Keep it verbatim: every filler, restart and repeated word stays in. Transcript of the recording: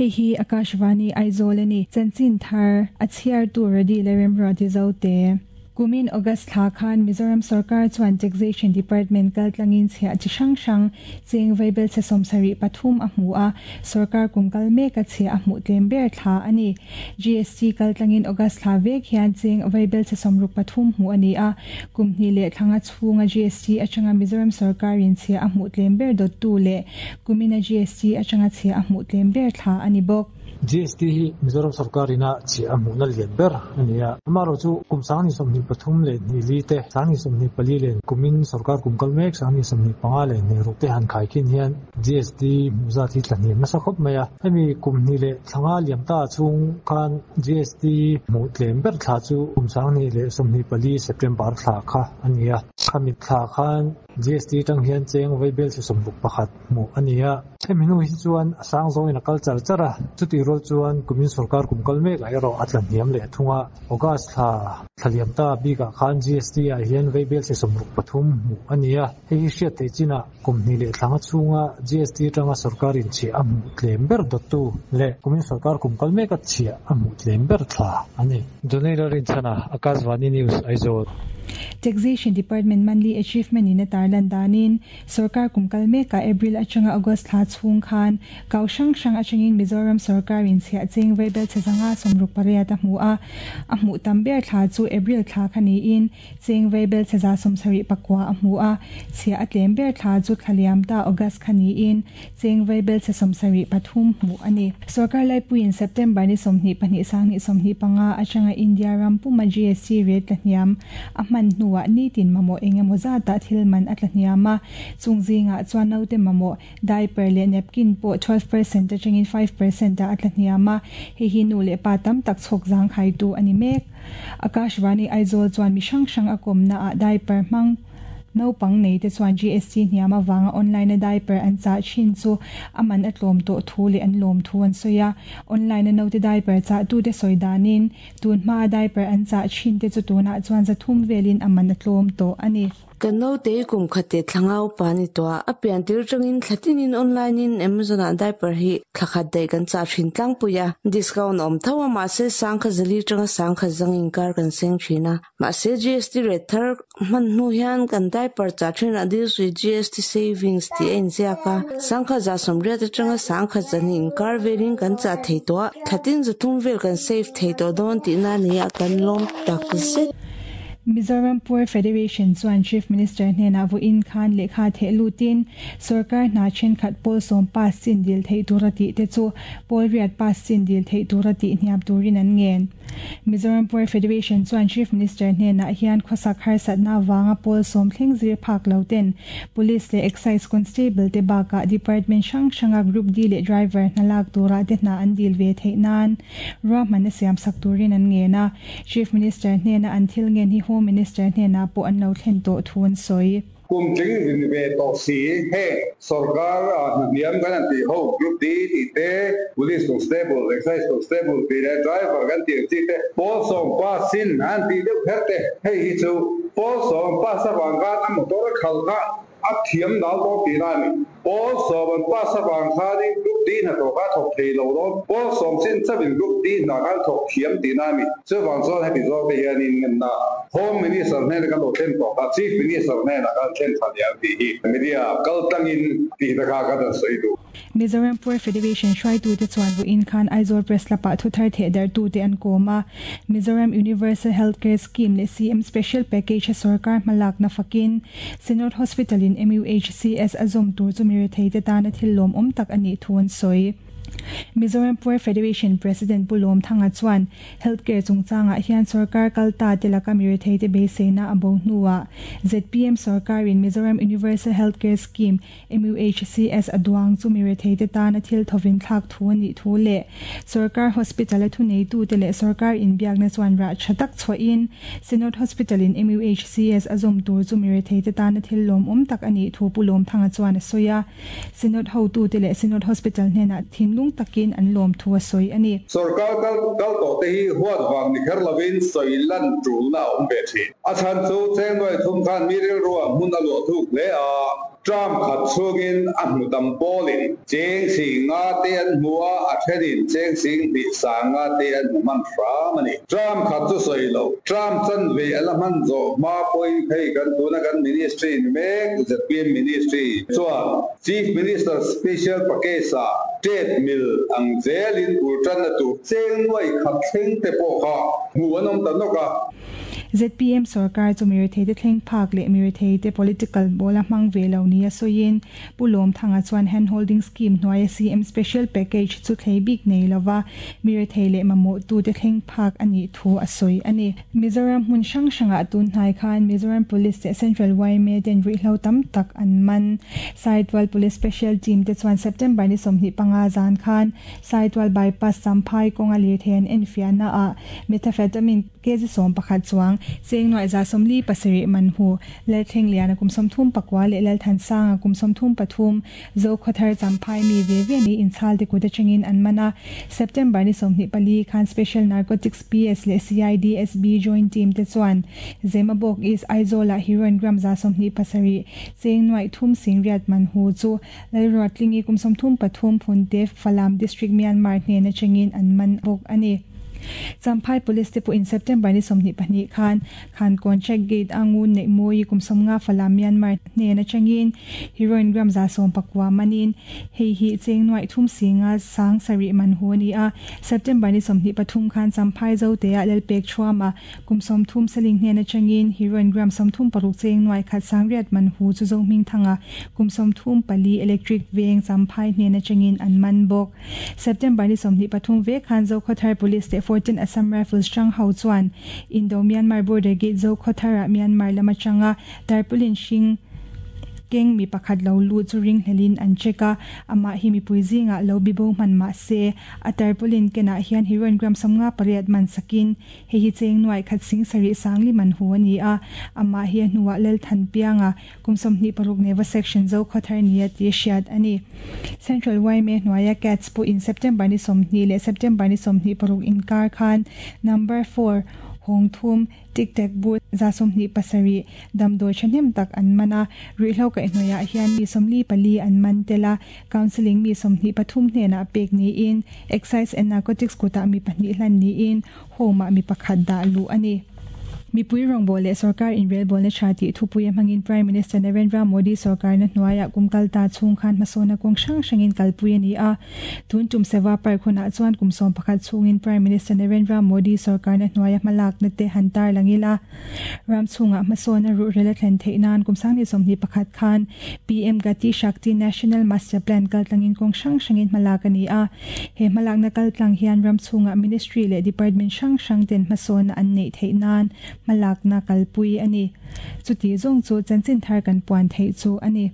Hei hi Akashvani Aizawl ani chanchin thar a chhiar tu radi le remro ti zo te. Kumin August thla khan Mizoram Sarkar chuan Taxation Department kaltlangin chhia chi hrang hrang cheng vaibel che sawmsarih pathum a hmu a sarkar kum kal mek a chhia a hmuh tlem ber thla ani. G S T kaltlangin August thla vek hian cheng vaibel che sawmruk pathum hmu ani a kum hnih leh thlanga chhunga G S T atanga Mizoram Sarkar in chhia a hmuh tlem ber dawt tu leh kumina G S T atanga chhia a hmuh tlem ber thla ani bawk. G S T hi Mizoram Sarkar ina chhia a hmuh na lian ber ani a amaro chu kum sang ni sawmhnih pathum leh hnih li te sang ni sawmhnih pali leh kumin sarkar kum kal mek sang ni sawmhnih panga leh hnih ruk te han khai khin hian G S T hmuh zat hi tla hniam nasa khawp mai a hemi kum hnih leh thlanga liam ta chhung khan G S T hmuh tlem ber thla chu kum sang hnih leh sawmhnih pali September thla kha ani a khami thla khan G S T tang hian cheng vaibel che sawmruk pakhat hmuh ani a hemi hnu hi chuan a sang zawngin a kal char char a chuti rual chuan kumin sarkar kum kal mek ah erawh a tla hniam leh thunga August thla thlaliam ta bikah khan G S T ah hian vaibel che sawmruk pathum hmuh ani a hei hi hriat theih chinah kum hnih leh thlanga chhunga G S T tanga sarkar in chhia a hmuh tlem ber dawttu leh kumin sarkar kum kal mek a chhia a hmuh tlem ber thla ani. Donela Rinchhana, Akashvani News, Aizawl. Taxation Department monthly achievement in a tarlan danin sarkar kumkal meka April atanga August thla chhung khan kau hrang hrang atangin Mizoram sarkar in chhia cheng vaibel chezanga sawmruk pariat a hmu a a hmuh tam ber thla chu April thla khani in cheng vaibel cheza sawmsarih pakua a hmu a chhia a tlem ber thla chu thlaliam ta August khani in cheng vaibel che sawmsarih pathum hmu ani. Sarkar laipuiin September ni sawmhnih pahnih sanghnih sawmhnih panga atanga India ram puma G S T rate tla hniam a hman hnuah nitin mamawh engemaw zata thil man a tla hniam a chung zingah chuan naute mamawh diaper leh napkin pawh twelve percent atangin five percent a a tla hniam a hei hi nu leh pa tam tak chhawk zang khai tu ani mek. Akashvani Aizawl chuan mi hrang hrang a kawmna ah diaper hmang naupang nei te chuan G S T hniam awanga online a diaper an chah thin chu aman a tlawm tawh thu leh an lawm thu an sawi a online a naute diaper chah tu te sawi danin tun hma a diaper an chah thin te chu tunah chuan zathum velin aman a tlawm tawh ani. Kan naute kum khate thlangau pani to a pian tir tangin thlatinin online in Amazon a diaper hi thlakhat dai kan cha thin tlang puya discount om thawa ma se sangkha zali tanga sangkha zangin kar kan seng thina ma se G S T rate thar man nu hian kan diaper cha thin a deals with G S T savings ti en zia ka sangkha za somre te tanga sangkha zanin kar velin kan cha thei to thatin zu thum vel kan save thei to don ti na ni a kan lom tak zet. Mizoram Poor Federation chuan Chief Minister hnena vu in khan lekha the lutin sarkar hna then khat pawl sawm pass chin dil thei tura ti te chu pawl riat pass chin dil thei tura ti hniam turin an ngen. Mizoram Poor Federation chuan Chief Minister hnena hian khawsak harsatna wanga pawl sawm thleng zir phak lo ten Police leh Excise Constable te baka Department hrang hranga Group D leh driver hnalak tura te hna an dil ve theih nan ruahman a siam sak turin an ngen a. Chief Minister hnena an thil ngen hi Home Minister hnena pawh an lo thlen tawh thu an sawi. Kum tling ve to si he sarkar hniam kan an ti ho Group D ti te Police Constable Excise Constable ti le driver kan ti chi te pawl sawm pa sin an ti deuh kher te hei hi chu pawl sawm pa sa wang ka a motor khal kha a thiam dal to ti na ni pawl sawm an pa sa wang kha ni Group D na to ka thok thei lo do pawl sawm sin chavin Group D na kan thok thiam ti na mi chu wang chuan heti zawk te hian in ngen na Home Minister hnen kan lo thlen tawh kha Chief Minister hnen a kan thlen tha diam ti hi media kal tangin ti ta kha ka dan sawi du. Mizoram Poor Federation hruai tu te chuan vu in khan Aizawl Press lapa thu thar the dar tu te an kawm a Mizoram Universal Healthcare Scheme leh C M Special Package a sarkar hmalak na fakin Synod Hospital in M U H C S a zawm tur chu mi rethei te tana thil lawm awm tak ani thu an sawi. Mizoram Poor Federation President Pulom Thanga chuan healthcare chungchanga hian sarkar kalta te laka mi rethei te beiseina a bo hnuah Z P M sarkar in Mizoram Universal Healthcare Scheme M U H C S aduang chu mi rethei te tana thil thovin thlak thu ani thu le sarkar hospital a thu nei tu te leh sarkar in biakna chuan ra thatak chhoin Synod Hospital in M U H C S azawm tur chu mi rethei te tana thil lawm awm tak ani thu Pulom Thanga chuan a sawi a Synod ho tu te leh Synod Hospital hnena thin thinlung takin an lawm thu a sawi a ni. Sarkar kal kal to te hi huat wang ni kher lovin sawi lan tul na awm ve thin. A chan chu cheng noi thum khan mi ril ruwa mun a lo thuk le a tram khat chungin a hmu tam polin cheng sing nga te an hmua a thenin cheng sing ni sa nga te an man fra mani tram khat chu soi lo tram chan ve ala man zo ma poi phei kan tuna kan ministry ni mek Z P M ministry chuan Chief Minister Special Package a trade mill ang zelin ultran na tu cheng noi khat thleng te po kha mu anom tan noka. Z P M sarkar chu mi rethei te thleng phak leh mi rethei te political bola hmang ve lo ni a sawiin Pulawm Thanga chuan hand holding scheme hnuaia C M special package chu thlei bik nei lova mi rethei leh mamawh tu te thleng phak ani thu a sawi ani. Mizoram hmun hrang hrangah tun hnai khan Mizoram Police te Central Y M A ten ruihhlo tam tak an man. Saitual Police Special Team te chuan September ni sawmhnih panga zan khan Saitual bypass Champhai kawnga lirthei an enfiahna ah methamphetamine kg sawm pakhat chuang cheng nuai za sawmli pasarih man hu lalthleng liana kum sawmthum pakua leh lalthan sanga kum sawmthum pathum zo khawthar Champhai mi ve ve ni inchhal te kut atangin an mana. September ni sawmhnih pali khan Special Narcotics P S leh C I D S B joint team te chuan Zemabawk East Aizawl ah heroin gram za sawmhnih pasarih cheng nuai thum sing riat man hu chu lalruatlingi kum sawmthum pathum phunte Falam District Myanmar hnen atangin an man bawk ani. Champhai Police te pawh in September ni sawmhnih pahnih khan khan contract gate angun nei mawi kum sawmnga Falam Myanmar hnen atangin heroin gram za sawm pakua manin hei hi cheng nuai thum singa sang sarih man hu ani a. September ni sawmhnih pathum khan Champhai zo te ah lalpek thuama kum sawmthum saling hnen atangin heroin gram sawmthum paruk cheng nuai khat sang riat man hu chu zo hming thanga kum sawmthum pali electric veng Champhai hnen atangin an man bawk. September ni sawmhnih pathum ve khan zo khawthar Police te fourteen Assam Rifles chang ho chuan Indo Myanmar border gate zo khawthara Myanmar lama changa tarpaulin hring keng mi pakhat lo lu chu ring hlelin an cheka ama hi mi puizinga lo bibo man ma se a tarpaulin kena hian heroin gram samnga pariat man sakin he hi cheng nuai khat sing sari sangli man hu ani a ama hi hnuwa lel than pianga kumsom ni paruk neva section zo khawthar nia ti hriat ani. Central Y M A hnuaia cats pu in September ni sawmhnih leh September ni sawmhnih paruk inkar khan number four hong thum tik tek bu za sawmhnih pasarih damdawi thahnem tak an mana ruihhlo kaihhnawih hian mi sawmli pali an man tela counselling mi sawmhnih pathum hnenah pek niin excise and narcotics kutah mi pahnih hlan niin home ah mi pakhat dah luh ani. Mipui rawngbawl leh sarkar inrelbawl na tha tih thupui a hmangin Prime Minister Narendra Modi sarkar na hnuaiah kum kalta chhung khan hmasawna kawng hrang hrangin kalpui ani a. Tun tum Seva Park hunah chuan kum sawm pakhat chhungin Prime Minister Narendra Modi sarkar na hnuaia hmalak na te han tar langila ram chhungah hmasawna ruhrel a thlen theih nan kum sangni sawmhnih pakhat khan P M Gati Shakti National Master Plan kaltlangin kawng hrang hrangin hmalak ani a. He hmalak na kaltlang hian ram chhungah ministry leh department hrang hrang ten hmasawna an neih theih nan malak na kalpui ani. Chuti zong chu chanchin thar kan puan thei chu ani.